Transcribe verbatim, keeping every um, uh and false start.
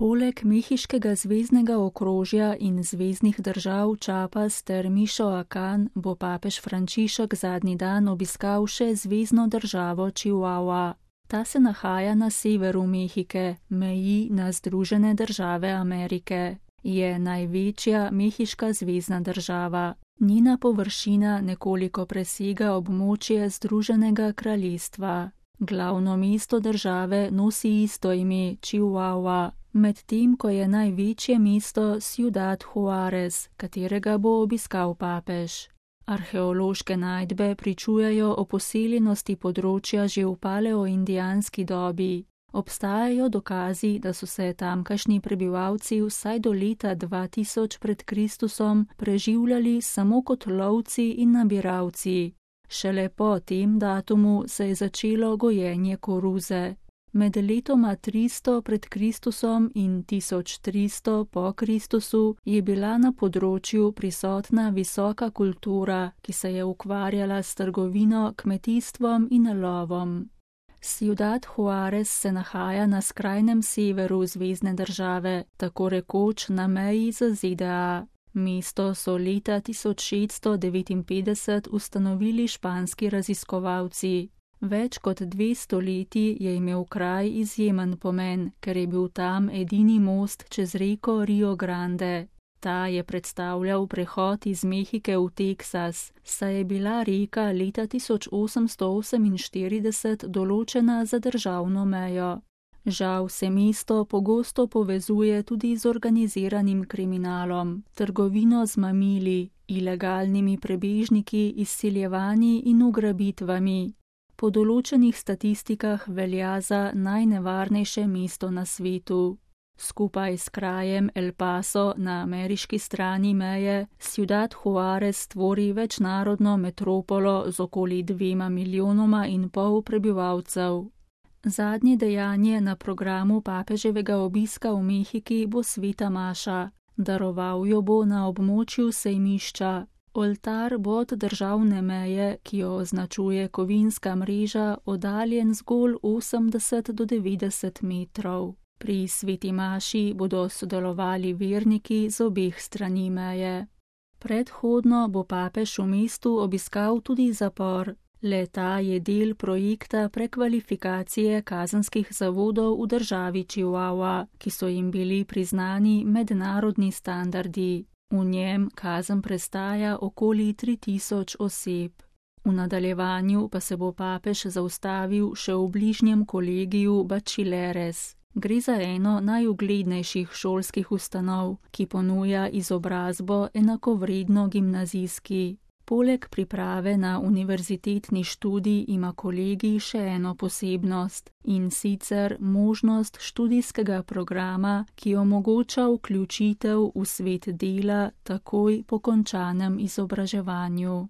Poleg mehiškega zveznega okrožja in zveznih držav Chiapas ter Michoacán bo papež Frančišek zadnji dan obiskal še zvezno državo Chihuahua. Ta se nahaja na severu Mehike, meji na Združene države Amerike. Je največja mehiška zvezna država. Njena površina nekoliko presega območje Združenega kraljestva. Glavno mesto države nosi isto ime Chihuahua, medtem ko je največje mesto Ciudad Juárez, katerega bo obiskal papež. Arheološke najdbe pričujejo o poseljenosti področja že v paleoindijanski dobi. Obstajajo dokazi, da so se tamkajšnji prebivalci vsaj do leta dva tisoč pred Kristusom preživljali samo kot lovci in nabiralci. Šele po tem datumu se je začelo gojenje koruze. Med letoma tristo pred Kristusom in tisoč tristo po Kristusu je bila na področju prisotna visoka kultura, ki se je ukvarjala s trgovino, kmetijstvom in lovom. Ciudad Juárez se nahaja na skrajnem severu zvezne države, tako rekoč na meji z Z D A. Mesto so leta tisoč šeststo devetinpetdeset ustanovili španski raziskovalci. Več kot dve stoletji je imel kraj izjemen pomen, ker je bil tam edini most čez reko Rio Grande. Ta je predstavljal prehod iz Mehike v Teksas, saj je bila reka leta tisoč osemsto oseminštirideset določena za državno mejo. Žal se mesto pogosto povezuje tudi z organiziranim kriminalom, trgovino z mamili, ilegalnimi prebežniki, izsiljevanji in ugrabitvami. Po določenih statistikah velja za najnevarnejše mesto na svetu. Skupaj s krajem El Paso na ameriški strani meje, Ciudad Juárez tvori večnarodno metropolo z okoli dvema milijonoma in pol prebivalcev. Zadnje dejanje na programu papeževega obiska v Mehiki bo sveta maša. Daroval jo bo na območju sejmišča. Oltar bo od državne meje, ki jo označuje kovinska mreža, oddaljen zgolj osemdeset do devetdeset metrov. Pri sveti maši bodo sodelovali verniki z obeh strani meje. Predhodno bo papež v mestu obiskal tudi zapor. Le-ta je del projekta prekvalifikacije kazenskih zavodov v državi Chihuahua, ki so jim bili priznani mednarodni standardi. V njem kazen prestaja okoli tri tisoč oseb. V nadaljevanju pa se bo papež zaustavil še v bližnjem kolegiju Bachilleres. Gre za eno najuglednejših šolskih ustanov, ki ponuja izobrazbo enakovredno gimnazijski. Poleg priprave na univerzitetni študij ima kolegij še eno posebnost, in sicer možnost študijskega programa, ki omogoča vključitev v svet dela takoj po končanem izobraževanju.